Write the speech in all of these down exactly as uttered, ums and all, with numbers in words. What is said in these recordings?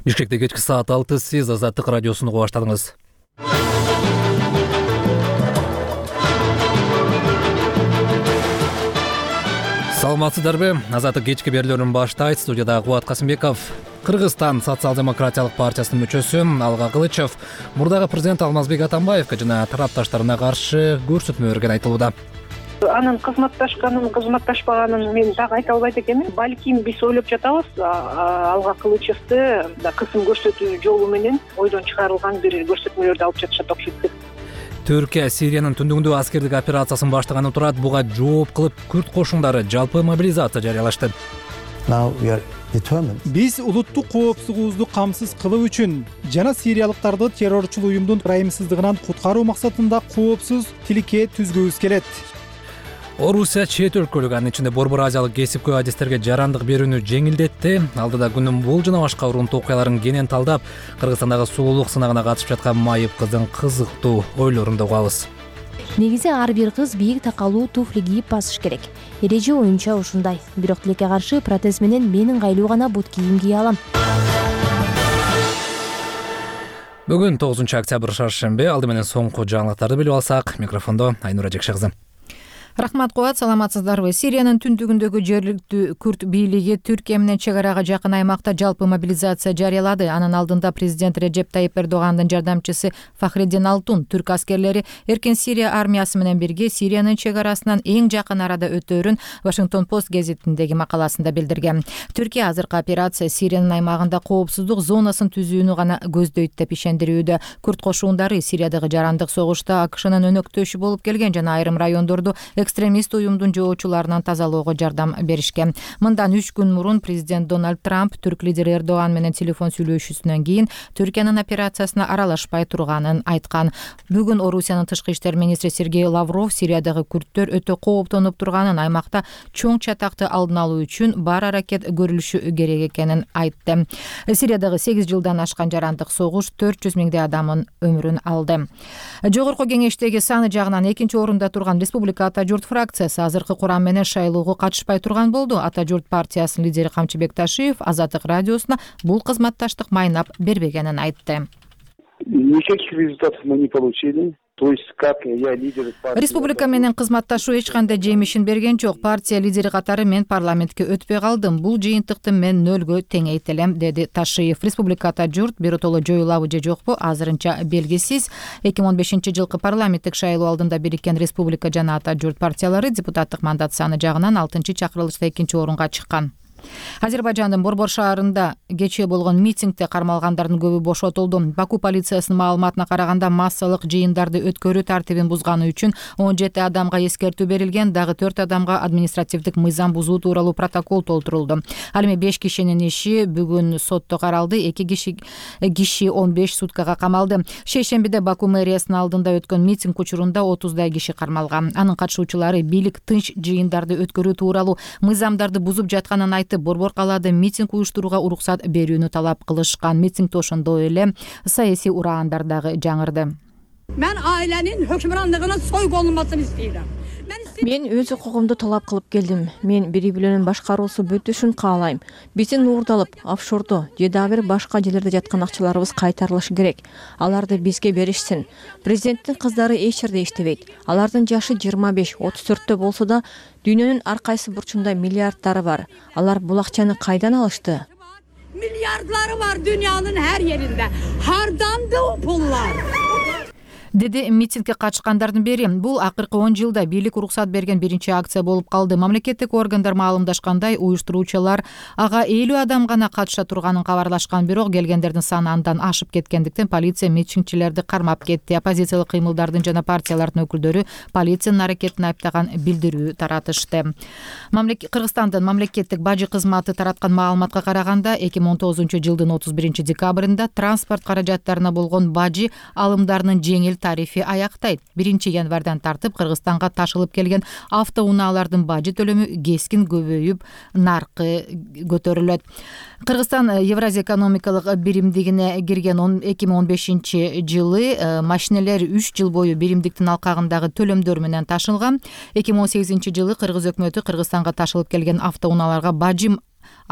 Бишкекте кечки саат алты, сиз Азаттык радиосун угуп баштадыңыз. Саламатсыздарбы? Азаттык кечки берүүлөрүн баштайт. Студияда Кубат Касымбеков. Кыргызстан социал-демократиялык партиясынын мүчөсү Алга Кылычев мурдагы президент Алмазбек Атамбаевге жана тарапташтарына каршы көрсөтмө берген айтылууда. Анын кызматташканын, кызматташпаганын мен так айта албайт экенмин. Балким биз ойлоп жатабыз, Алга Кылычевди кысым көрсөтүү жолу менен ойдон чыгарылган бир көрсөтмөлөрдү алып жатышат окшойт. Түркия Сириянын түндүгүндө аскердик операциясын баштаганы турат. Буга жооп кылып Күрд кошундары жалпы мобилизация жарыялашты. Биз улуттук коопсуздугубузду камсыз кылуу үчүн жана сириялыктарды террорчул уюмдун ырайымсыздыгынан куткаруу максатында коопсуз тилке түзгүбүз келет. Орусия чет өлкөлүк, анын ичинде Борбор Азиялык кесипкөй адистерге жарандык берүүнү жеңилдетти. Алдыда күнүн бул жана башка урунтуу окуяларын кенен талдап, Кыргызстандагы сулуулук сынагына катышып жаткан майып кыздын кызыктуу ойлорун да угабыз. Негизи ар бир кыз бийик такалуу туфли кийип басыш керек. Эреже оюнча ушундай. Бирок тилекке каршы протез менен мен ыңгайлуу гана бут кийим кие алам. Бүгүн тогузунчу октябрь шаршемби. Алды менен соңку жаңылыктарды билип алсак, микрофондо Айнура Жекше кызы. Рахмат Кубат, саламатсыздарбы? Сириянын түндүгүндөгү жергиликтүү Күрд бийлиги Түркия менен чек арага жакын аймакта жалпы мобилизация жарыялады. Анын алдында президент Реджеп Тайип Эрдогандын жардамчысы Фахриддин Алтун түрк аскерлери Эркин Сирия армиясы менен бирге Сириянын чек арасынан эң жакын арада өтөөрүн Вашингтон Пост гезитиндеги макаласында билдирген. Түркия азыркы операция Сириянын аймагында коопсуздук зонасын түзүүнү гана көздөйт деп ишендирүүдө. Күрд кошундары Сириядагы жарандык согушта АКШнын өнөктөшү болуп келген жана айрым райондорду экстремист уюмдун жоочуларынан тазалоого жардам беришкен. Мындан үч күн мурун президент Дональд Трамп түрк лидери Эрдоган менен телефон сүйлөшүүсүнөн кийин Түркиянын операциясына аралашпай турганын айткан. Бүгүн Орусиянын тышкы иштер министри Сергей Лавров Сириядагы күрдтөр өтө кооптонуп турганын, аймакта чоң чатакты алдын алуу үчүн бар аракет көрүлүшү керек экенин айтты. Сириядагы сегиз жылдан ашкан жарандык согуш төрт жүз миңдей адамдын өмүрүн алды. Жогорку кеңештеги саны жагынан экинчи орунда турган Республика Ата журт фракциясы азыркы курам менен шайлоого катышпай турган болду. Ата журт партиясынын лидери Камчыбек Ташиев Азаттык радиосуна бул кызматташтык майнап бербегенин айтты. Никаких результатов мы не получили. То есть как я лидер партии. Республика менен кызматташуу эч кандай жемишин берген жок. Партия лидери катары мен парламентке өтпөй калдым. Бул жыйынтыкты мен нөлгө теңейт элем, деди Ташиев. Республикада журт биротоло жоюлабы же жокпу азырынча белгисиз. эки миң он бешинчи жылкы парламенттик шайлоо алдында бириккен Республика жана Ата журт партиялары депутаттык мандат саны жагынан алтынчы чакырылышта экинчи орунга чыккан. Азербайжандын Борбор шаарында кечээ болгон митингде кармалгандардын көбү бошотулду. Баку полициясынын маалыматына караганда массалык жыйындарды өткөрүү тартибин бузганы үчүн он жети адамга эскертүү берилген, дагы төрт адамга административдик мыйзам бузуу тууралуу протокол толтурулду. Ал эми беш кишинин иши бүгүн сотто каралды. эки киши киши он беш суткага камалды. Шейшембиде Баку мэриясынын алдында өткөн митинг учурунда отуздай киши кармалган. Анын катышуучулары бийлик тынч жыйындарды өткөрүү тууралуу мыйзамдарды бузуп жатканын айтып, Борбор калаада митинг уюштурууга уруксат берүүнү талап кылышкан. Митингде ошондой эле саясий ураандар дагы жаңырды. Мен ailenin hökümranlığının soygunlanmasını istiyorum. Мен өз укугумду талап кылып келдим. Мен бири-биленин башкаруусу бүтүшүн каалайм. Биздин уурдалып, офшордо же дагы бир башка жерлерде жаткан акчаларыбыз кайтарылышы керек. Аларды бизге беришсин. Президенттин кыздары эч жерде иштебейт. Алардын жашы жыйырма беш отуз төрттө болсо да, дүйнөнүн ар кайсы бурчунда миллиарддары бар. Алар бул акчаны кайдан алышты? Milyardları var dünyanın her yerinde. Hardandı o pullar? деди митингге катышкандардын бири. Бул акыркы он жылда бийлик уруксат берген биринчи акция болуп калды. Мамлекеттик органдар маалымдашкандай, уюштуруучулар ага элүү адам гана катыша турганын кабарлашкан, бирок келгендердин саны андан ашып кеткендиктен полиция митингчилерди кармап кетти. Оппозициялык кыймылдардын жана партиялардын өкүлдөрү полициянын аракетин айыптаган билдирүү таратышты. Кыргызстандын мамлекеттик бажы кызматы тараткан маалыматка караганда, эки миң он тогузунчу жылдын отуз биринчи декабрында транспорт каражаттарына болгон бажы алымдарынын жеңил тарифи аяктайт. биринчи январдан тартып Кыргызстанга ташылып келген автоунаалардын бажы төлөмү кескин көбөйүп, наркы көтөрүлөт. Кыргызстан Евразия экономикалык биримдигине кирген эки миң он бешинчи жылы машинелер үч жыл бою биримдиктин алкагындагы төлөмдөр менен ташылган. эки миң он сегизинчи жылы Кыргыз өкмөтү Кыргызстанга ташылып келген автоунааларга бажы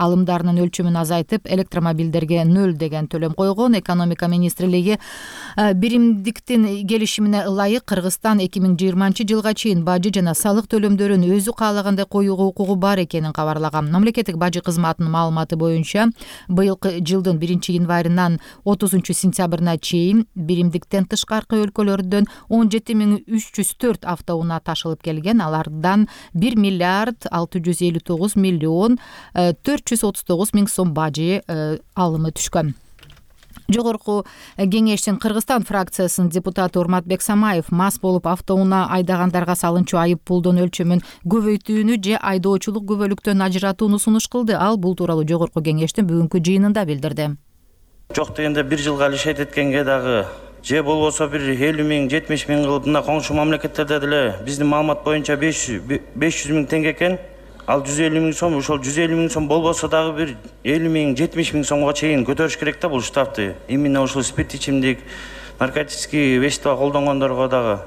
алымдарынын өлчөмүн азайтып, электромобилдерге нөл деген төлөм койгон. Экономика министрлиги биримдиктин келишимине ылайык Кыргызстан эки миң жыйырманчы жылга чейин бажы жана салык төлөмдөрүн өзү каалагандай коюуга укугу бар экенин кабарлаган. Мамлекеттик бажы кызматынын маалыматы боюнча быйылкы жылдын биринчи январынан отузунчу сентябрына чейин биримдиктен тышкаркы өлкөлөрдөн он жети миң үч жүз төрт автоунаа ташылып келген. Алардан бир миллиард алты жүз элүү тогуз миллион төрт жүз отуз тогуз миң сом бажы алымы түшкөн. Жогорку кеңештин Кыргызстан фракциясынын депутаты Урматбек Самаев мас болуп автоунаа айдагандарга салынчу айып пулдун өлчөмүн көбөйтүүнү же айдоочулук күбөлүктөн ажыратууну сунуш кылды. Ал бул тууралуу жогорку кеңештин бүгүнкү жыйынында билдирди. Жок дегенде бир жылга алишет эткенге дагы же болбосо бир элүү миң жетимиш миң кылып мына коңшу мамлекеттерде деле биздин маалымат боюнча беш жүз миң теңге экен. Ал жүз элүү миң сом, ошол жүз элүү миң сом болбосо дагы бир элүү миң жетимиш миң сомго чейин көтөрүш керек да бул штрафты. Именно ушул спирт ичимдик, наркотический вещество колдонгондорго дагы.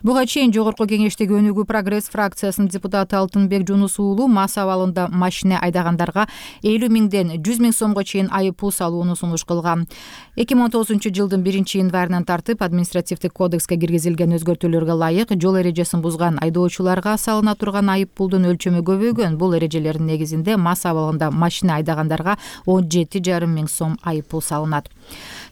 Буга чейин жогорку кеңештеги Өнүгүү прогресс фракциясынын депутаты Алтынбек Жунус уулу мас абалында машина айдагандарга элүү миңден жүз миң сомго чейин айып пул салууну сунуш кылган. эки миң он тогузунчу жылдын биринчи январынан тартып административдик кодекске киргизилген өзгөртүүлөргө ылайык жол эрежесин бузган айдоочуларга салына турган айып пулдун өлчөмү көбөйгөн. Бул эрежелердин негизинде мас абалында машина айдагандарга он жети жарым миң сом айып пул салынат.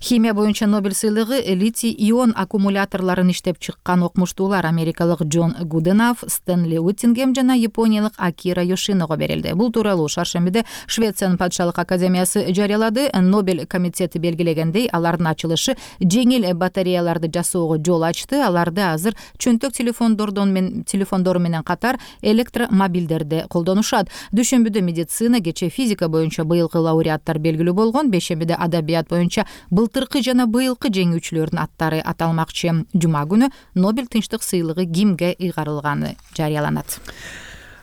Химия боюнча Нобель сыйлыгы литий ион аккумуляторлорун иштеп чыккан окумуштуулар америкалык Джон Гуденав, Стэнли Уиттингем жана япониялык Акира Йошиного берилди. Бул тууралуу шаршембиде Швециянын падышалык академиясы жарыялады. Нобель комитети белгилегендей, алардын ачылышы жеңил батареяларды жасоого жол ачты. Аларды азыр чөнтөк телефондордон мен телефондору менен катар электромобилдерде колдонушат. Дүйшөмбүдө медицина, кечээ физика боюнча быйылкы лауреаттар белгилүү болгон. Бейшембиде адабият боюнча былтыркы жана быйылкы жеңүүчүлөрдүн аттары аталмакчы. Жума күнү Нобель тынчтык сыйлыгы кимге ыйгарылганы жарыяланат.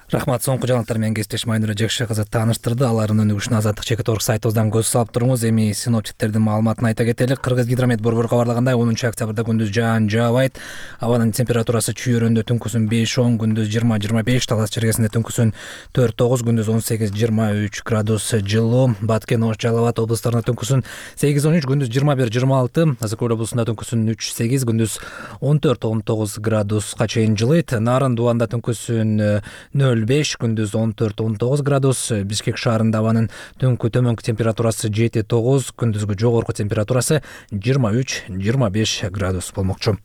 Рахмат, соңку жаңылыктар менен кесиптеш Майнура Жекше кызы тааныштырды. Алардын өнүгүшүнө Азаттык чекит орг сайтыбыздан көз салып туруңуз. Эми синоптиктердин маалыматын айта кетелик. Кыргыз гидромет борбору кабарлагандай, онунчу октябрда күндүз жаан жаабайт. Абанын температурасы чүйөрөндө түнкүсүн беш он, күндүз жыйырма жыйырма беш, Талас чергесинде түнкүсүн төрт тогуз, күндүз он сегиз жыйырма үч градус жылуу. Баткен, Ош, Жалал абад облустарында түнкүсүн сегиз он үч, күндүз жыйырма бир жыйырма алты, Азыр Көл облусунда түнкүсүн үч сегиз, күндүз он төрт он тогуз градуска чейин жылыйт. Нарын Дубанда түнкүсүн нөл беш, күндүз он төрт он тогуз градус. Бишкек шаарында абанын түнкү төмөнкү температурасы жети тогуз, күндүзгү жогорку температурасы жыйырма үч жыйырма беш градус болмокчу.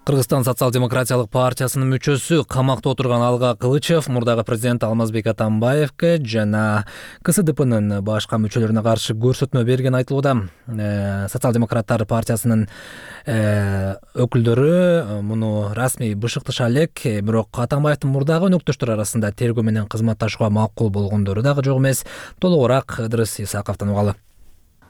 Кыргызстан социал-демократиялык партиясынын мүчөсү камакта отурган Алга Кылычев мурдагы президент Алмазбек Атамбаевке жана КСДПнын башка мүчөлөрүнө каршы көрсөтмө берген айтылууда. Социал-демократтар партиясынын өкүлдөрү муну расмий бышыктыша элек, бирок Атамбаевдин мурдагы өнөктөштөр арасында тергөө менен кызматташууга макул болгондору дагы жок эмес. Толугураак Ыдырыс Исаковдон угалы.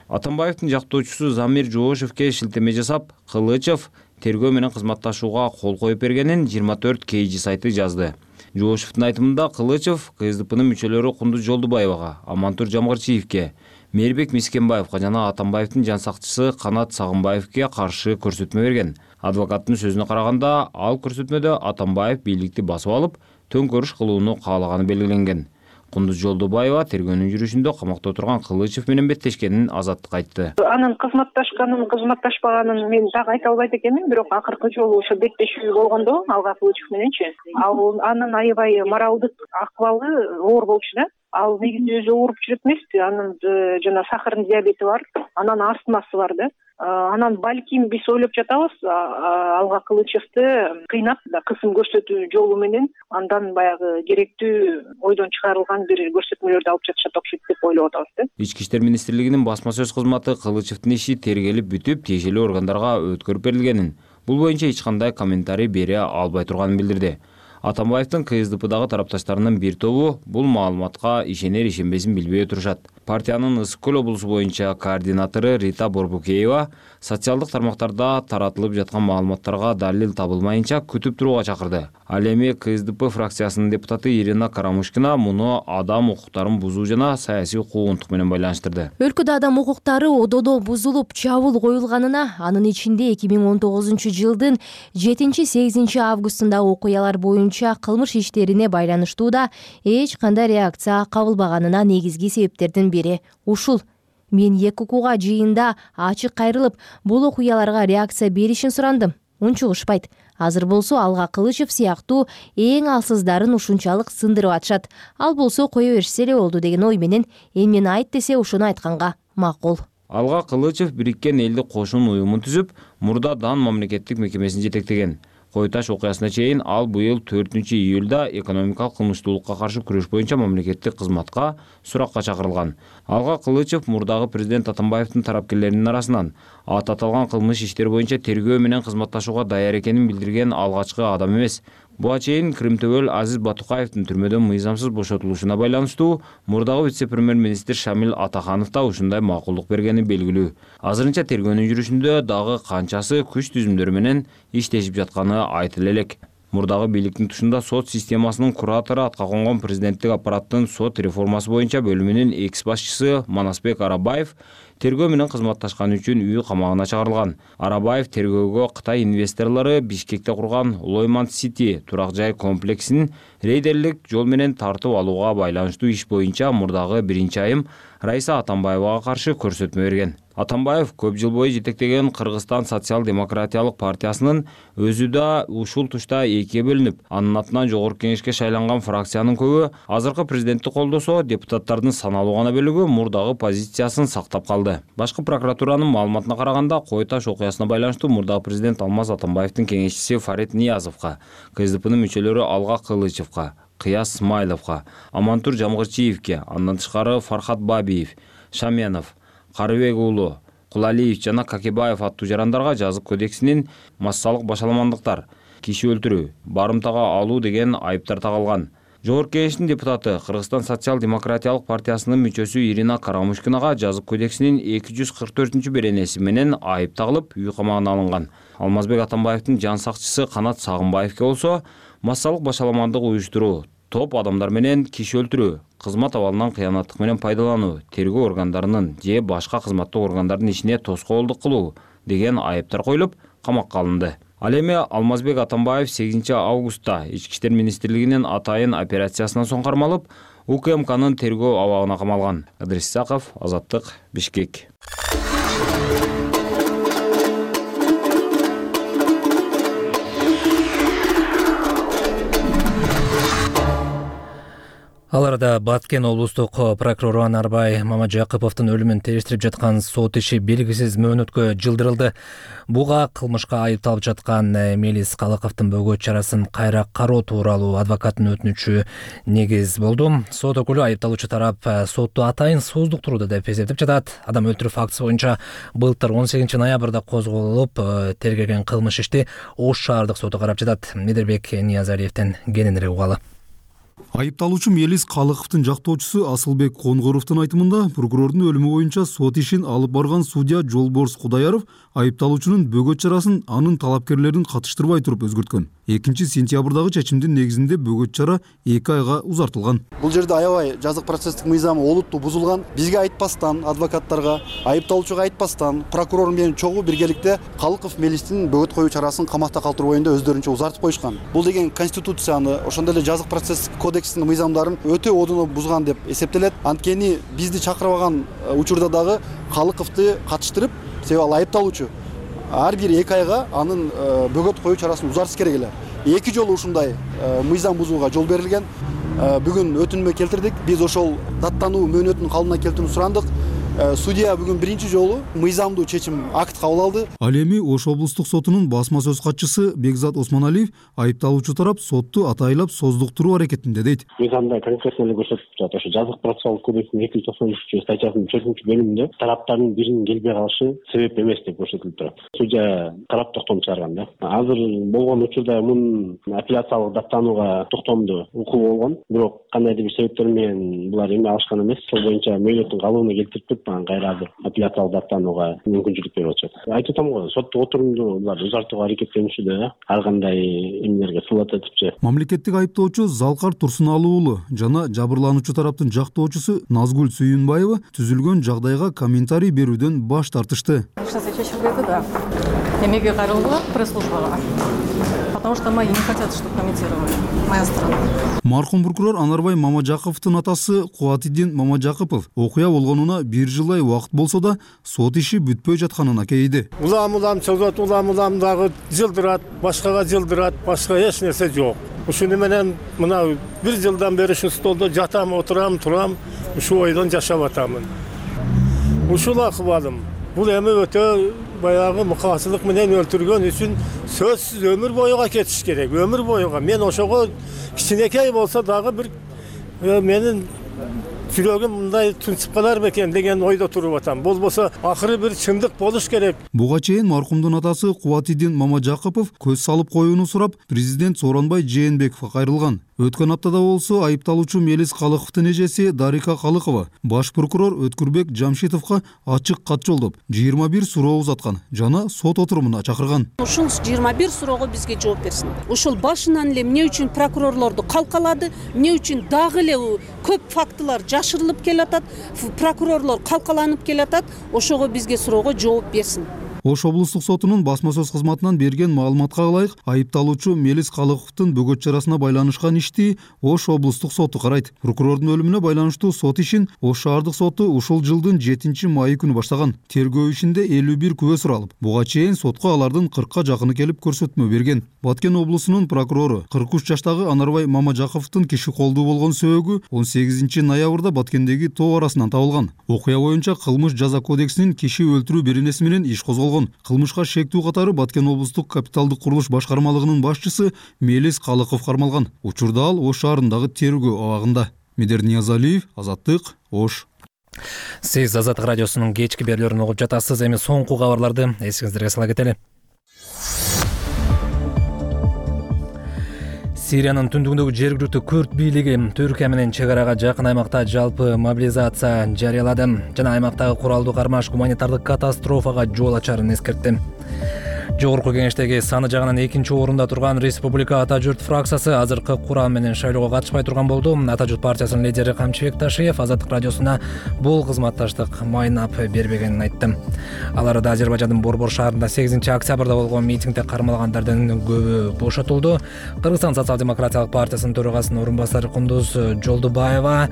Атамбаевдин жактоочусу Замир Жоошевке шилтеме жасап, Кылычев тергөө менен кызматташууга кол коюп бергенин жыйырма төрт кей жи сайты жазды. Жоошевдин айтымында Кылычев КСДПнын мүчөлөрү Кундуз Жолдубаевага, Амантур Жамгырчиевке, Мээрбек Мискенбаевга жана Атамбаевдин жан сакчысы Канат Сагынбаевге каршы көрсөтмө берген. Адвокаттын сөзүнө караганда, ал көрсөтмөдө Атамбаев бийликти басып алып, төңкөрүш кылууну каалаганы белгиленген. Кундуз Жолдубаева тергөөнүн жүрүшүндө камакта отурган Кылычев менен беттешкенин Азаттык айтты. Анын кызматташканын, кызматташпаганын мен так айта албайт экенмин, бирок акыркы жолу ошо беттешүү болгондо Алга Кылычев мененчи, ал анын аябай моралдык акыбалы оор болчу да. Ал негизи өзү ооруп жүрөт эмеспи, анын жана сахардын диабети бар, анан астмасы бар да. Анан балким биз ойлоп жатабыз, Алга Кылычевди кыйнап, кысым көрсөтүү жолу менен андан баягы керектүү ойдон чыгарылган бир көрсөтмөлөрдү алып жатышат окшойт деп ойлоп атабыз да. Ички иштер министрлигинин басма сөз кызматы Кылычевдин иши тергелип бүтүп, тиешелүү органдарга өткөрүп берилгенин, бул боюнча эч кандай комментарий бере албай турганын билдирди. Атамбаевдин КСДПдагы тарапташтарынын бир тобу бул маалыматка ишенер ишенбесин билбей отурушат. партиянын Ысык Көл облусу боюнча координатору Рита Борбукеева социалдык тармактарда таратылып жаткан маалыматтарга далил табылмайынча күтүп турууга чакырды. Ал эми КСДП фракциясынын депутаты Ирина Карамушкина муну адам укуктарын бузуу жана саясий куугунтук менен байланыштырды. Өлкөдө адам укуктары ододо бузулуп, чабуул коюлганына, анын ичинде эки миң он тогузунчу жылдын жетинчи сегизинчи августундагы окуялар боюнча кылмыш иштерине байланыштуу да эч кандай реакция кабылбаганына негизги себептердин бири ушул. Мен эки укуга жыйында ачык кайрылып, бул окуяларга реакция беришин сурандым. Унчугушпайт. Азыр болсо Алга Кылычев сыяктуу эң алсыздарын ушунчалык сындырып атышат. Ал болсо кое беришсе эле болду деген ой менен эмнени айт десе ошону айтканга макул. Алга Кылычев Бириккен Элдик Кошун уюмун түзүп, мурда Дан мамлекеттик мекемесин жетектеген. Кой Таш окуясына чейин ал быйыл төртүнчү июлда экономикалык кылмыштуулукка каршы күрөш боюнча мамлекеттик кызматка суракка чакырылган. Алга Кылычев мурдагы президент Атамбаевдин тарапкерлеринин арасынан ат аталган кылмыш иштери боюнча тергөө менен кызматташууга даяр экенин билдирген алгачкы адам эмес. Буга чейин Кримтөбөл Азиз Батукаевдин түрмөдөн мыйзамсыз бошотулушуна байланыштуу мурдагы вице-премьер-министр Шамил Атаханов да ушундай макулдук бергени белгилүү. Азырынча тергөөнүн жүрүшүндө дагы канчасы күч түзүмдөрү менен иштешип жатканы айтыла элек. Мурдагы бийликтин тушунда сот системасынын куратору атка конгон президенттик аппараттын сот реформасы боюнча бөлүмүнүн экс башчысы Манасбек Арабаев тергөө менен кызматташканы үчүн үй камагына чыгарылган. Арабаев тергөөгө Кытай инвесторлору Бишкекте курган Лойман Сити турак жай комплексин рейдерлик жол менен тартып алууга байланыштуу иш боюнча мурдагы биринчи айым Раиса Атамбаевага каршы көрсөтмө берген. Атамбаев көп жыл бою жетектеген Кыргызстан социал-демократиялык партиясынын өзү да ушул тушта экиге бөлүнүп, анын атынан жогорку кеңешке шайланган фракциянын көбү азыркы президентти колдосо, депутаттардын саналуу гана бөлүгү мурдагы позициясын сактап калды. Башкы прокуратуранын маалыматына караганда, Кой Таш окуясына байланыштуу мурдагы президент Алмаз Атамбаевдин кеңешчиси Фарид Ниязовго, КСДПнын мүчөлөрү Алга Кылычевго, Кыяс Смайловго, Амантур Жамгырчиевке, андан тышкары Фархат Бабиев, Шаменов, Карыбек уулу, Кулалиев жана Какебаев аттуу жарандарга жазык кодексинин массалык башаламандыктар, киши өлтүрүү, барымтага алуу деген айыптар тагылган. Жогорку кеңештин депутаты Кыргызстан социал-демократиялык партиясынын мүчөсү Ирина Карамушкинага жазык кодексинин эки жүз кырк төртүнчү беренеси менен айып тагылып, үй камагына алынган. Алмазбек Атамбаевдин жан сакчысы Канат Сагынбаевке болсо массалык башаламандык уюштуруу, топ адамдар менен киши өлтүрүү, кызмат абалынан кыянаттык менен пайдалануу, тергөө органдарынын же башка кызматтык органдардын ишине тоскоолдук кылуу деген айыптар коюлуп, камакка алынды. Ал эми Алмазбек Атамбаев сегизинчи августта Ички иштер министрлигинин атайын операциясынан соң кармалып, УКМКнын тергөө абагына камалган. Ыдырис Исаков, Азаттык, Бишкек. Ал арада Баткен облустук прокурору Анарбай Мамажакыповдун өлүмүн териштирип жаткан сот иши белгисиз мөөнөткө жылдырылды. Буга кылмышка айыпталып жаткан Мелис Калыковдун бөгөт чарасын кайра кароо тууралуу адвокаттын өтүнүчү негиз болду. Сот өкүлү айыпталуучу тарап сотту атайын сооздуктурду деп эсептеп жатат. Адам өлтүрүү фактысы боюнча былтыр он сегизинчи ноябрда козголуп, тергелген кылмыш ишти Ош шаардык соту карап жатат. Медербек Ниязалиевден кененирээк угалы. Айыпталуучу Мелис Калыковдун жактоочусу Асылбек Конгоровдун айтымында, прокурордун өлүмү боюнча сот ишин алып барган судья Жолборс Кудаяров айыпталуучунун бөгөт чарасын анын талапкерлерин катыштырбай туруп өзгөрткөн. экинчи сентябрдагы чечимдин негизинде бөгөт чара эки айга узартылган. Бул жерде аябай жазык процесстик мыйзамы олуттуу бузулган. Бизге айтпастан, адвокаттарга, айыпталуучуга айтпастан, прокурор менен чогуу биргеликте Калыков Мелистин бөгөт коюу чарасын камакта калтыруу боюнда өздөрүнчө узартып коюшкан. Бул деген конституцияны, ошондой эле жазык процесстик кодекстин мыйзамдарын өтө одуно бузган деп эсептелет. Анткени бизди чакырбаган учурда дагы Калыковду катыштырып, себеби ал айыпталуучу ар бир эки айга анын бөгөт коюу чарасын узартыш керек эле. Эки жолу ушундай мыйзам бузууга жол берилген. Бүгүн өтүнмө келтирдик. Биз ошол даттануу мөөнөтүнүн калыбына келтирүүнү сурандык. Судья бүгүн биринчи жолу мыйзамдуу чечим акт кабыл алды. Ал эми Ош облустук сотунун басма сөз катчысы Бекзат Осмоналиев айыпталуучу тарап сотту атайлап создуктуруу аракетинде дейт. Мыйзамда конкретно эле көрсөтүп турат. Ошо жазык процессуалдык кодекстин эки жүз токсон үчүнчү статьясынын төртүнчү бөлүмүндө тараптардын биринин келбей калышы себеп эмес деп көрсөтүлүп турат. Судья карап токтом чыгарган да. Азыр болгон учурда мунун апелляциялык даттанууга токтомду укугу болгон, бирок кандайдыр бир себептер менен булар эме алышкан эмес. Ошол боюнча мөөнөттүн калыбына келтирип туруп анан кайра азыр апелляциялык даттанууга мүмкүнчүлүк берип атышат. Айтып атам го, соттук отурумду булар узартууга аракеттенишүүдө ар кандай эмелерге сылат этипчи. Мамлекеттик айыптоочу Залкар Турсуналуу уулу жана жабырлануучу тараптын жактоочусу Назгүл Сүйүнбаева түзүлгөн жагдайга комментарий берүүдөн баш тартышты. Эмеге кайрылгыла пресс-службага. Потому что мои не хотят, чтобы комментировали моя страна. Маркум прокурор Анарбай Мамажаковдун атасы Кубатиддин Мамажакопов окуя болгонуна бир жылдай убакыт болсо да сот иши бүтпөй жатканын акейди. Улам улам чогулат, улам улам дагы жылдырат, башкага жылдырат, башка эч нерсе жок. Ушуну менен мына бир жылдан бери ушу столдо жатам, отурам, турам, ушу ойдон жашап атамын. Ушул акыбалым. Бул эми өтө баягы мукасылык менен өлтүргөн үчүн сөзсүз өмүр боюга кетиш керек. Өмүр боюга. Мен ошого кичинекей болсо дагы бир менин жүрөгүм мындай тынчып калар бекен деген ойдо туруп атам. Болбосо акыры бир чындык болуш керек. Буга чейин маркумдун атасы Кубатиддин Мамажакопов көз салып коюуну сурап, президент Сооронбай Жээнбековго кайрылган. Өткөн аптада болсо айыпталуучу Мелис Калыковдун эжеси Дарика Калыкова баш прокурор Өткүрбек Жамшитовго ачык кат жолдоп, жыйырма бир суроо узаткан жана сот отурумуна чакырган. Ушул жыйырма бир суроого бизге жооп берсин. Ушул башынан эле эмне үчүн прокурорлорду калкалады, эмне үчүн дагы эле көп фактылар жашырылып келатат, прокурорлор калкаланып келатат, ошого бизге суроого жооп берсин. Ош облустук сотунун басма сөз кызматынан берген маалыматка ылайык, айыпталуучу Мелис Калыковдун бөгөт чарасына байланышкан ишти Ош облустук соту карайт. Прокурордун өлүмүнө байланыштуу сот ишин Ош шаардык соту ушул жылдын жетинчи майы күнү баштаган. Тергөө ишинде элүү бир күбө суралып, буга чейин сотко алардын кыркка жакыны келип көрсөтмө берген. Баткен облусунун прокурору кырк үч жаштагы Анарбай Мамажаковдун киши колдуу болгон сөөгү он сегизинчи ноябрда Баткендеги тоо арасынан табылган. Окуя боюнча кылмыш жаза кодексинин киши өлтүрүү беренеси менен иш козголгон. Кылмышка шектүү катары Баткен облустук капиталдык курулуш башкармалыгынын башчысы Мелис Калыков кармалган. Учурда ал Ош шаарындагы тергөө абагында. Медер Ниязалиев, Азаттык, Ош. Сиз Азаттык радиосунун кечки берүүлөрүн угуп жатасыз. Эми соңку кабарларды эсиңиздерге сала кетели. Сириянын түндүгүндөгү жергиликтүү күрд бийлиги Түркия менен чек арага жакын аймакта жалпы мобилизация жарыялады жана аймактагы куралдуу кармаш гуманитардык катастрофага жол ачарын эскертти. Жогорку кеңештеги саны жагынан экинчи орунда турган Республика Ата журт фракциясы азыркы курам менен шайлоого катышпай турган болду. Ата журт партиясынын лидери Камчыбек Ташиев Азаттык радиосуна бул кызматташтык майнап бербегенин айтты. Алар да Азербайжандын Борбор шаарында сегизинчи октябрда болгон митингде кармалгандардын көбү бошотулду. Кыргызстан социал-демократиялык партиясынын төрагасынын орун басары Кундуз Жолдубаева,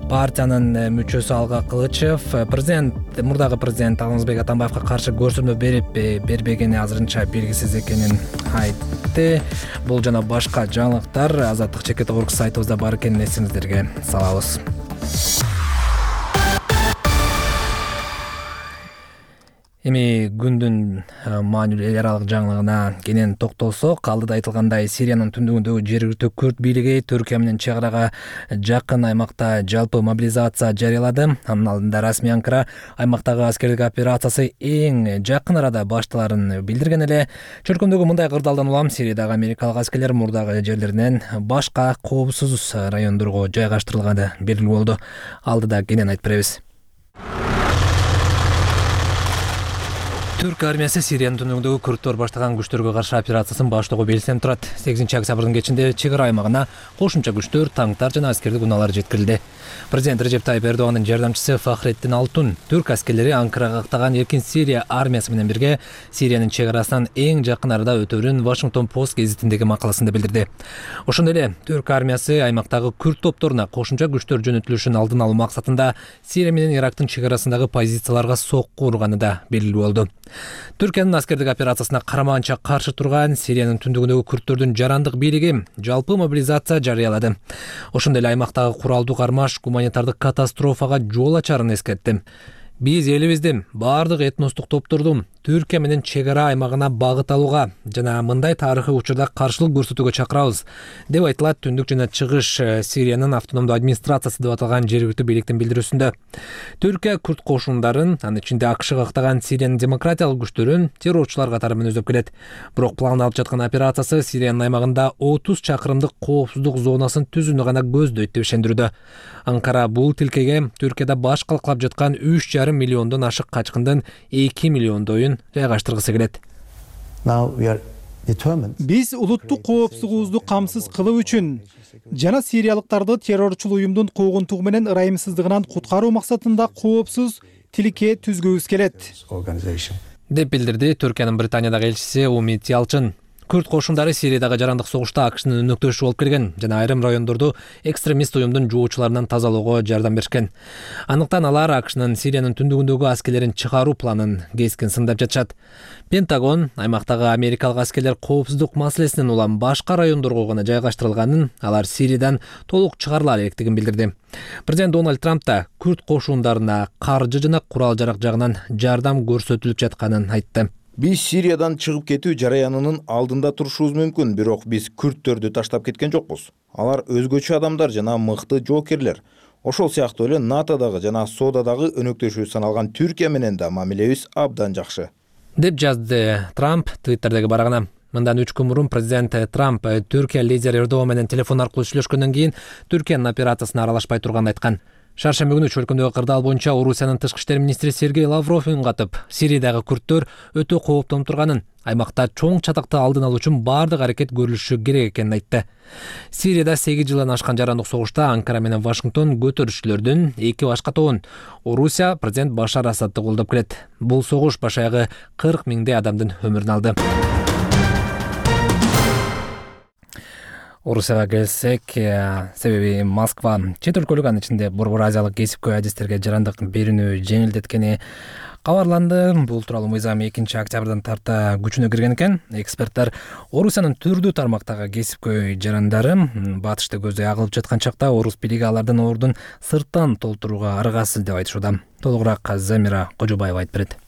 партиянын мүчөсү Алга Кылычев президент мурдагы президент Алмазбек Атамбаевга каршы көрсөтмө берип бербегени азырынча белгисиз экенин айтты. Бул жана башка жаңылыктар Азаттык чекит орг сайтыбызда бар экенин эсиңиздерге салабыз. Эми күндүн маанилүү эл аралык жаңылыгына кенен токтолсок, алдыда айтылгандай Сириянын түндүгүндөгү жергиликтүү күрд бийлиги Түркия менен чек арага жакын аймакта жалпы мобилизация жарыялады. Анын алдында расмий Анкара аймактагы аскердик операциясы эң жакын арада башталарын билдирген эле. Чөлкөмдөгү мындай кырдаалдан улам Сириядагы америкалык аскерлер мурдагы жерлеринен башка коопсуз райондорго жайгаштырылганы белгилүү болду. Алдыда кенен айтып беребиз. Түрк армиясы Сириянын түндүгүндөгү күрдтөр баштаган күчтөргө каршы операциясын баштоого белсендип турат. сегизинчи октябрдын кечинде чек ара аймагына кошумча күчтөр, танктар жана аскердик унаалар жеткирилди. Президент Режеп Тайып Эрдогандын жардамчысы Фахреттин Алтун түрк аскерлери Анкарага каттаган Эркин Сирия армиясы менен бирге Сириянын чек арасынан эң жакын арада өтөөрүн Вашингтон Пост гезитиндеги макаласында билдирди. Ошондой эле түрк армиясы аймактагы күрд топторуна кошумча күчтөр жөнөтүлүшүн алдын алуу максатында Сирия менен Ирактын чек арасындагы позицияларга сокку урганы да белгилүү болду. Түркиянын аскердик операциясына карамаганча каршы турган Сириянын түндүгүндөгү күрдтөрдүн жарандык бийлиги жалпы мобилизация жарыялады. Ошондой эле аймактагы куралдуу кармаш гуманитардык катастрофага жол ачарын эскертти. Биз элибиздин баардык этностук топтордун Түркия менен чек ара аймагына багыт алууга жана мындай тарыхый учурда каршылык көрсөтүүгө чакырабыз деп айтылат Түндүк жана Чыгыш Сириянын автономдуу администрациясы деп аталган жергиликтүү бийликтин билдирүүсүндө. Түркия күрд кошундарын, анын ичинде АКШга ыктаган Сириянын демократиялык күчтөрүн террорчулар катары менен өздөп келет. Бирок пландалып жаткан операциясы Сириянын аймагында отуз чакырымдык коопсуздук зонасын түзүүнү гана көздөйт деп ишендирүүдө. Анкара бул тилкеге Түркияда баш калкалап жаткан үч жарым миллиондон ашык качкындын эки миллиондойун жайгаштыргысы келет. Биз улуттук коопсуздугубузду камсыз кылуу үчүн жана сириялыктарды террорчул уюмдун куугунтугу менен ырайымсыздыгынан куткаруу максатында коопсуз тилке түзгүбүз келет, деп билдирди Түркиянын Британиядагы элчиси Умит Ялчын. Күрд кошундары Сириядагы жарандык согушта АКШнын өнөктөшү болуп келген жана айрым райондорду экстремист уюмдун жуучуларынан тазалоого жардам беришкен. Андыктан алар АКШнын Сириянын түндүгүндөгү аскерлерин чыгаруу планын кескин сындап жатышат. Пентагон аймактагы америкалык аскерлер коопсуздук маселесинин улам башка райондорго гана жайгаштырылганын, алар Сириядан толук чыгарыла электигин билдирди. Президент Дональд Трамп да күрд кошундарына каржы жана курал-жарак жагынан жардам көрсөтүлүп жатканын айтты. Биз Сириядан чыгып кетүү жараянынын алдында турушубуз мүмкүн, бирок биз күрдтөрдү таштап кеткен жокпуз. Алар өзгөчө адамдар жана мыкты жоокерлер. Ошол сыяктуу эле НАТОдагы жана СОДАдагы өнөктөшүү саналган Түркия менен да мамилебиз абдан жакшы, деп жазды Трамп Твиттердеги барагына. Мындан үч күн мурун президент Трамп Түркия лидери Эрдоган менен телефон аркылуу сүйлөшкөндөн кийин Түркиянын операциясына аралашпай турганын айткан. Шаршемби күнү чөлкөмдөгү кырдаал боюнча Орусиянын тышкы иштер министри Сергей Лавров үн катып, Сириядагы күрдтөр өтө кооптонуп турганын, аймакта чоң чатакты алдын алуу үчүн баардык аракет көрүлүшү керек экенин айтты. Сирияда сегиз жылдан ашкан жарандык согушта Анкара менен Вашингтон көтөрүшчүлөрдүн эки башка тобун Орусия президент Башар Асадты колдоп келет. Бул согуш башаягы кырк миңдей адамдын өмүрүн алды. Орусияга келсек, себеби Москва чет өлкөлүк, анын ичинде Борбор Азиялык кесипкөй адистерге жарандык берүүнү жеңилдеткени кабарланды. Бул тууралуу мыйзам экинчи октябрдан тарта күчүнө кирген экен. Эксперттер Орусиянын түрдүү тармактагы кесипкөй жарандары батышты көздөй агылып жаткан чакта орус бийлиги алардын ордун сырттан толтурууга аргасыз деп айтышууда. Толугураак Замира Кожобаева айтып берет.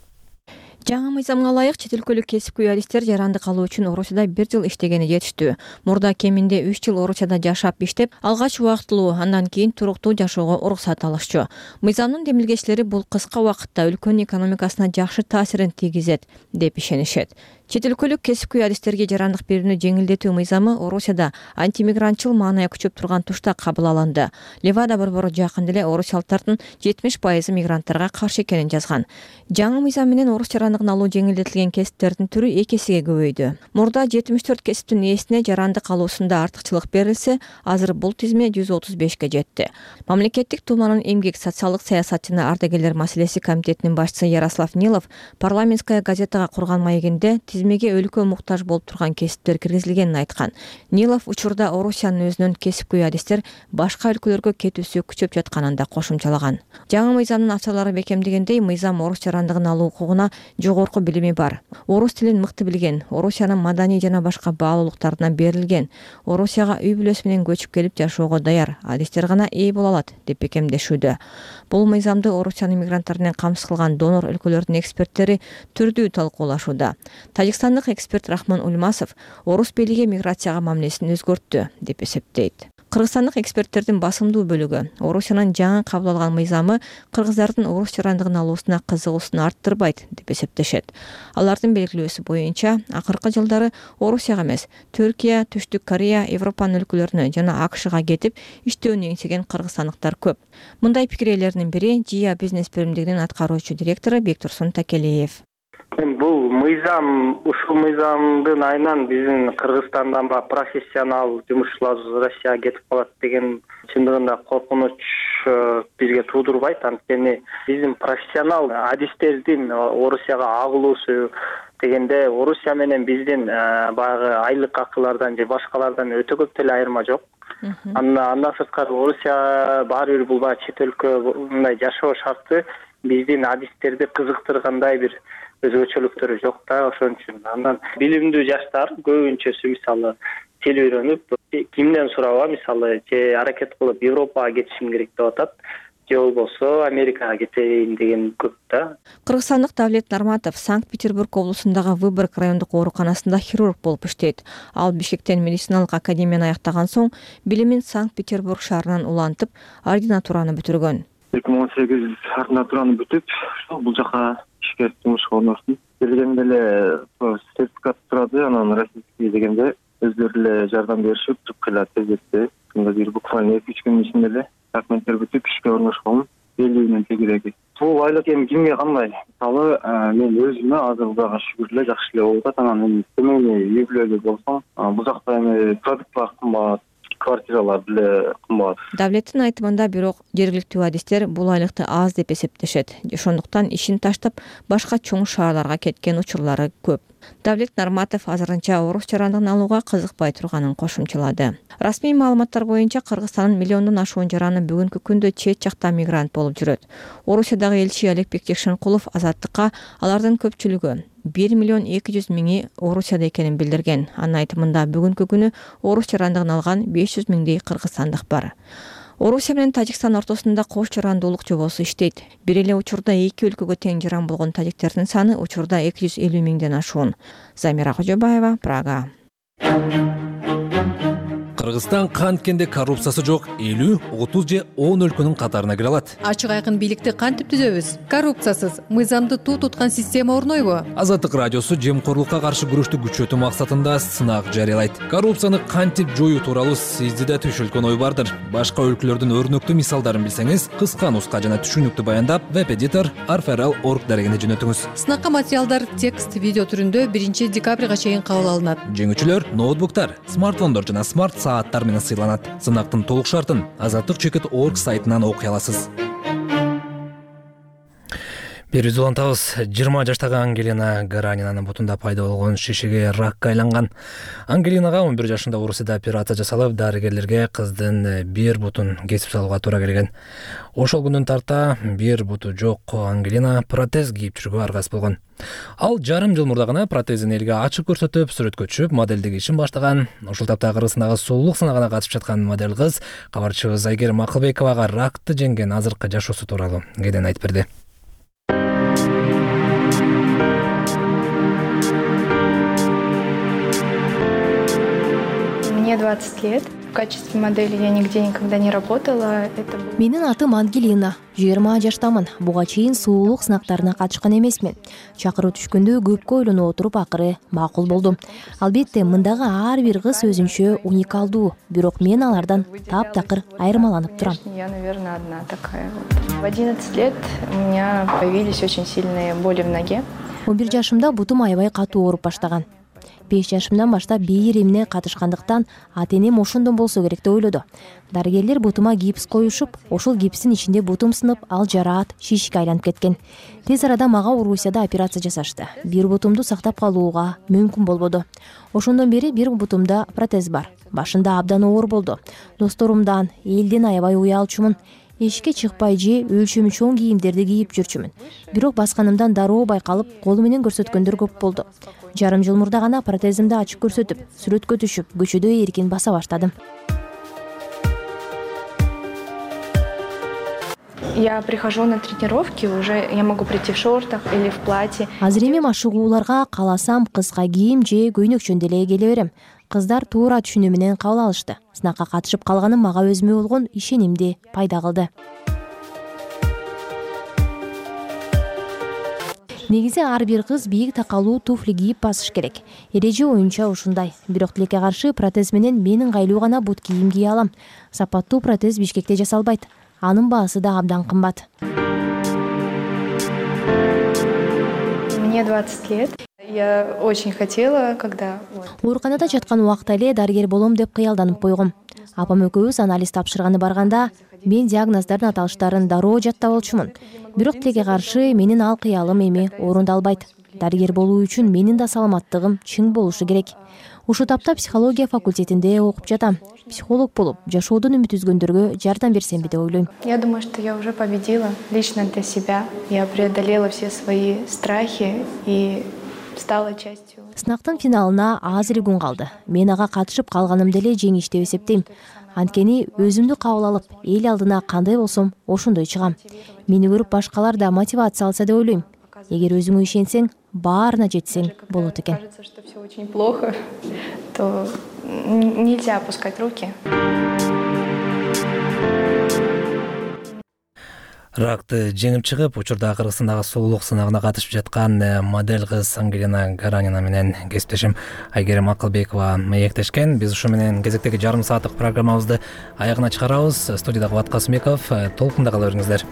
Жаңы мыйзамга ылайык чет өлкөлүк кесипкөй адистер жарандык алуу үчүн Орусияда бир жыл иштегени жетиштүү. Мурда кеминде үч жыл Орусияда жашап иштеп, алгач убактылуу, андан кийин туруктуу жашоого уруксат алышчу. Мыйзамдын демилгечилери бул кыска убакытта өлкөнүн экономикасына жакшы таасирин тийгизет деп ишенишет. Чет өлкөлүк кесипкөй адистерге жарандык берүүнү жеңилдетүү мыйзамы Орусияда антимигрантчыл маанайы күчөп турган тушта кабыл алынды. Левада борбору жакында эле орусиялыктардын жетимиш пайызы мигранттарга каршы экенин жазган. Жаңы мыйзам менен орус жарандыгын алуу жеңилдетилген кесиптердин түрү эки эсеге көбөйдү. Мурда жетимиш төрт кесиптин ээсине жарандык алуусунда артыкчылык берилсе, азыр бул тизме жүз отуз бешке жетти. Мамлекеттик думанын эмгек социалдык саясат жана ардагерлер маселеси комитетинин башчысы Ярослав Нилов парламентская газетага курган маегинде тизмеге өлкө муктаж болуп турган кесиптер киргизилгенин айткан. Нилов учурда Орусиянын өзүнүн кесипкөй адистер башка өлкөлөргө кетүүсү күчөп жатканын да кошумчалаган. Жаңы мыйзамдын авторлору бекемдегендей, мыйзам орус жарандыгын алуу укугуна жогорку билими бар, орус тилин мыкты билген, Орусиянын маданий жана башка баалуулуктарына берилген, Орусияга үй бүлөсү менен көчүп келип жашоого даяр адистер гана ээ боло алат деп бекемдешүүдө. Бул мыйзамды Орусиянын мигранттар менен камсыз кылган донор өлкөлөрдүн эксперттери түрдүү талкуулашууда. Тажикстандык эксперт Рахман Ульмасов орус бийлиги миграцияга мамилесин өзгөрттү деп эсептейт. Кыргызстандык эксперттердин басымдуу бөлүгү Орусиянын жаңы кабыл алган мыйзамы кыргыздардын орус жарандыгын алуусуна кызыгуусун арттырбайт деп эсептешет. Алардын белгилөөсү боюнча, акыркы жылдары Орусияга эмес, Түркия, Түштүк Корея, Европанын өлкөлөрүнө жана АКШга кетип иштөөнү эңсеген кыргызстандыктар көп. Мындай пикир ээлеринин бири Жия бизнес бөлүмдүгүнүн аткаруучу директору Бектурсун Такелиев. Бул мыйзам, ушул мыйзамдын айынан биздин Кыргызстандан ба профессионал жумушчулар Россияга кетип калат деген чындыгында коркунуч бизге туудурбайт. Анткени биздин профессионал адистердин Орусияга агылуусу дегенде Орусия менен биздин баягы айлык акылардан же башкалардан өтө көп деле айырма жок. Андан сырткары Орусия баары бир бул баягы чет өлкө мындай жашоо шарты биздин адистерди кызыктыргандай бир өзгөчөлүктөрү жок да, ошон үчүн. Андан билимдүү жаштар көбүнчөсү мисалы тил үйрөнүп, кимден сурабы мисалы же аракет кылып Европага кетишим керек деп атат. же болбосо Америкага кетейин деген көп да. Кыргызстандык Давлет Нарматов Санкт-Петербург облусундагы Выборг райондук ооруканасында хирург болуп иштейт. Ал Бишкектен медициналык академияны аяктаган соң билимин Санкт-Петербург шаарынан улантып, ординатураны бүтүргөн. эки миң он сегиз ординатураны бүтүп, бул жака ишке жумушка орноштум. Келгенде эле сертификат турады, анан российский дегенде өздөрү эле жардам беришип, кыйла тездетти. Бир буквально эки үч күн ичинде эле документтер бүтүп ишке орношкон. Белгилүү тегереги. Бул айлык эми кимге кандай? Мисалы, мен өзүмө азыр Кудайга шүгүр эле жакшы эле болуп атат. Анан эми семейный үй бүлөлүү болсом, бул жакта эми продуктлар кымбат, квартиралар деле кымбат. Давлеттин айтымында бирок жергиликтүү адистер бул айлыкты аз деп эсептешет. Ошондуктан ишин таштап башка чоң шаарларга кеткен учурлары көп. Давлет Нарматов азырынча орус жарандыгын алууга кызыкпай турганын кошумчалады. Расмий маалыматтар боюнча Кыргызстандын миллиондон ашуун жараны бүгүнкү күндө чет жакта мигрант болуп жүрөт. Орусиядагы элчи Алекбек Текшенкулов Азаттыкка алардын көпчүлүгү бир миллион эки жүз миңи Орусияда экенин билдирген. Анын айтымында бүгүнкү күнү орус жарандыгын алган беш жүз миңдей кыргызстандык бар. Орусия менен Тажикстан ортосунда кош жарандуулук жобосу иштейт. Бир эле учурда эки өлкөгө тең жаран болгон тажиктердин саны учурда эки жүз элүү миңден ашуун. Замира Кожобаева, Прага. Кыргызстан канткенде коррупциясы жок элүү, отуз же он өлкөнүн катарына кире алат. Ачык айкын бийликти кантип түзөбүз? Коррупциясыз, мыйзамды туу туткан система орнойбу? Азаттык радиосу жемкорлукка каршы күрөштү күчөтүү максатында сынак жарыялайт. Коррупцияны кантип жоюу тууралуу сизде да түшүлгөн ой бардыр. Башка өлкөлөрдүн өрнөктүү мисалдарын билсеңиз, кыска нуска жана түшүнүктүү баяндап веб-эдитор арфрл точка орг дарегине жөнөтүңүз. Сынакка материалдар текст, видео түрүндө биринчи декабрга чейин кабыл алынат. Жеңүүчүлөр ноутбуктар, смартфондор жана смарт сааттар менен сыйланат. Сынактын толук шартын азаттык чекит точка орг сайтынан окуй аласыз. Берүүбүздү улантабыз. жыйырма жаштагы Ангелина Гаранинанын бутунда пайда болгон шишеге ракка айланган. Ангелинага он бир жашында Орусияда операция жасалып, дарыгерлерге кыздын бир бутун кесип салууга туура келген. Ошол күндөн тарта бир буту жок Ангелина протез кийип жүрүүгө аргасыз болгон. Ал жарым жыл мурда гана протезин элге ачып көрсөтүп, сүрөткө түшүп, моделдик ишин баштаган. Ошол тапта Кыргызстандагы сулуулук сынагына катышып жаткан модель кыз кабарчыбыз Айгерим Акылбековага ракты жеңген азыркы жашоосу тууралуу кенен айтып берди. Мне двадцать лет. В качестве модели я нигде никогда не работала. Это... Менин атым Ангелина. жыйырма жаштамын. Буга чейин суулук сынактарына катышкан эмесмин. Чакыруу түшкөндө көпкө ойлонуп отуруп акыры макул болдум. Албетте, мындагы ар бир кыз өзүнчө уникалдуу, бирок мен алардан таптакыр айырмаланып турам. Я, наверное, одна такая. В одиннадцать лет у меня появились очень сильные боли в ноге. он бир жашымда бутум аябай катуу ооруп баштаган. беш жашымдан баштап бийир эмне катышкандыктан ата-энем ошондон болсо керек деп ойлоду. Дарыгерлер бутума гипс коюшуп, ошол гипстин ичинде бутум сынып, ал жараат, шишке айланып кеткен. Тез арада мага Орусияда операция жасашты. Бир бутумду сактап калууга мүмкүн болбоду. Ошондон бери бир бутумда протез бар. Башында абдан оор болду. Досторумдан, элден аябай уялчумун. Эшикке чыкпай же өлчөмү чоң кийимдерди кийип жүрчүмүн. Бирок басканымдан дароо байкалып, колу менен көрсөткөндөр көп болду. Жарым жыл мурда гана протезимди ачып көрсөтүп, сүрөткө түшүп, көчөдө эркин баса баштадым. Я прихожу на тренировки, уже я могу прийти в шортах или в платье. Азыр эми машыгууларга кааласам кыска кийим же көйнөкчөндө эле келе берем. Кыздар туура түшүнүү менен кабыл алышты. Сынакка катышып калганым мага өзүмө болгон ишенимди пайда кылды. Негизи ар бир кыз бийик такалуу туфли кийип басыш керек. Эреже оюнча ушундай. Бирок тилекке каршы протез менен мен ыңгайлуу гана бут кийим кие алам. Сапаттуу протез Бишкекте жасалбайт. Анын баасы да абдан кымбат. Мне двадцать лет. Я очень хотела, когда... Ооруканада жаткан убакта эле дарыгер болом деп кыялданып койгом. Апам экөөбүз анализ тапшырганы барганда, мен диагноздордун аталыштарын дароо жаттап алчумун. Бирок тилекке каршы менин ал кыялым эми орундалбайт. Дарыгер болуу үчүн менин да саламаттыгым чың болушу керек. Ушул тапта психология факультетинде окуп жатам. Психолог болуп, жашоодон үмүт үзгөндөргө жардам берсемби деп ойлойм. Я думаю, что я уже победила лично для себя. Я преодолела все свои страхи и стала частью. Сынактын финалына аз эле күн калды. Мен ага катышып калганымды эле жеңиш деп эсептейм. Анткени өзүмдү кабыл алып, эл алдына кандай болсом, ошондой чыгам. Мени көрүп башкалар да мотивация алса деп ойлойм. Эгер өзүңө ишенсең, баарына жетсең болот экен. Кажется, что все очень плохо, то нельзя опускать руки. Ракты жеңип чыгып, учурда Кыргызстандагы сулуулук сынагына катышып жаткан модель кыз Ангелина Гаранина менен кесиптешим Айгерим Акылбекова маектешкен. Биз ушу менен кезектеги жарым сааттык программабызды аягына чыгарабыз. Студияда Кубат Касымбеков. Толкунда кала бериңиздер.